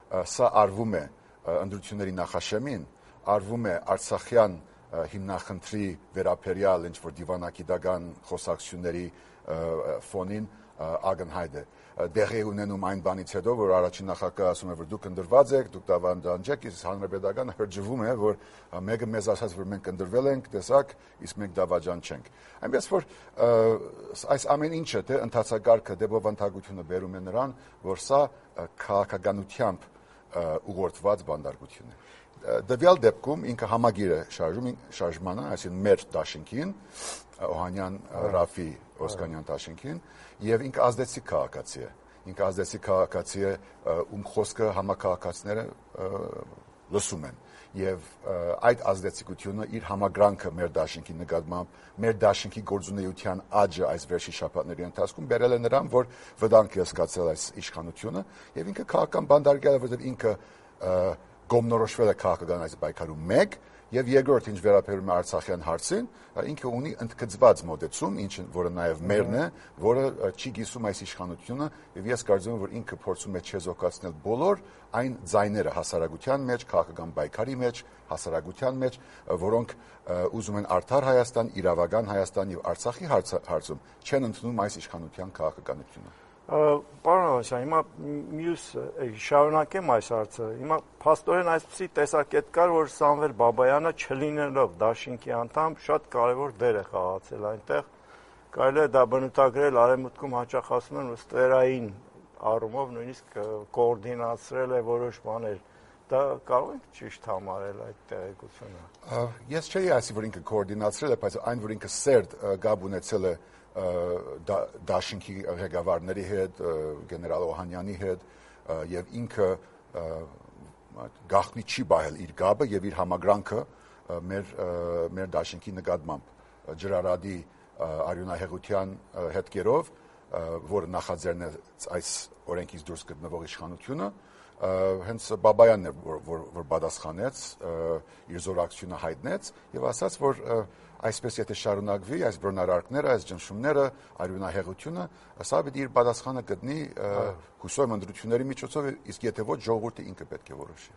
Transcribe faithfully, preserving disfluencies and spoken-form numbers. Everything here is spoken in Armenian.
սա արվում է ընտրությունների նախաշեմին, արվում է Արցախյան հիմնախնդրի վերաբերյալ ինչ-որ դիվանագիտական խոսակցությունների ֆոնին ակնհայտ է։ Դեղի ունենում այն բանից հետո, որ առաջին նախագահը ասում է, որ դուք ընտրված եք, դուք դավանջանք եք, իսկ հանրապետականը հրճվում է, որ մեկը մեզ ասաց, որ մենք ընտրվել ենք, տեսակ, իսկ մենք դավաճան չենք։ Այնպես որ այս ամեն ինչը թե ընթացակարգը դեպովանդակությունը բերում է նրան, որ սա քաղաքականությամբ ուղղորդված բանդարկություն է։ Դվյալ դեպքում ինքը համագիր է շարժում շարժմանը, այսինքն մեր դաշինքին, Օհանյան Ռաֆի Օսկանյան դաշինքին, եւ ինքը ազդեցիկ քաղաքացի է։ Ինքը ազդեցիկ քաղաքացի է, ում խոսքը համակարգացիները լսում են։ Եվ այդ ազդեցիկությունը իր համագրանքը մեր դաշինքի նկատմամբ, մեր դաշինքի գործունեության աճը այս վերջի շաբաթների ընթացքում բերել է նրան, որ վտանգ է զգացել այս իշխանությունը, եւ ինքը քաղաքական բանդարկել է, որովհետեւ ինքը գոմնորոշվել է քաղաքական այս պայքարում մեկ, եւ երկրորդ ինչ վերաբերում է Արցախյան հարցին, ինքը ունի ընդգծված մոտեցում, ինչը որը նաեւ մերն է, որը չի գիսում այս իշխանությունը, եւ ես կարծում եմ, որ ինքը փորձում է չեզոքացնել բոլոր այն ձայները հասարակության մեջ, քաղաքական պայքարի մեջ, հասարակության մեջ, որոնք ուզում են արդար Հայաստան, իրավական Հայաստան եւ Արցախի հարցում չեն ընդունում այս իշխանության քաղաքականությունը։ Պարոն Ավանեսյան, հիմա մյուս շարունակեմ այս հարցը։ Հիմա փաստորեն այսպիսի տեսակետ կար, որ Սամվել Բաբայանը չլինելով դաշինքի անդամ շատ կարևոր դեր է խաղացել այնտեղ։ Կարելի է դա բնութագրել արևմուտքում հաճախ ասում են ստերային առումով նույնիսկ կոորդինացրել է որոշ բաներ։ Դա կարող ենք ճիշտ համարել այդ տեղեկությունը։ Ես չէի ասի, որ ինքը կոորդինացրել է, բայց այն, որ ինքը սերտ գաբ ունեցել է դաշինքի ղեկավարների հետ, գեներալ Օհանյանի հետ, եւ ինքը գաղտնի չի բահել իր գաբը եւ իր համագրանքը մեր մեր դաշինքի նկատմամբ ջրարադի արյունահեղության հետքերով, որը նախաձեռն է այս օրենքից դուրս գտնվող իշխանությունը, հենց Բաբայանն է, որ, որ, որ պատասխանեց, իր զորակցությունը հայտնեց եւ ասաց, որ այսպես եթե շարունակվի այս բռնարարքները, այս ճնշումները, արյունահեղությունը, սա պետք է իր պատասխանը գտնի հուսով ընտրությունների միջոցով, իսկ եթե ոչ ժողովուրդը ինքը պետք է որոշի։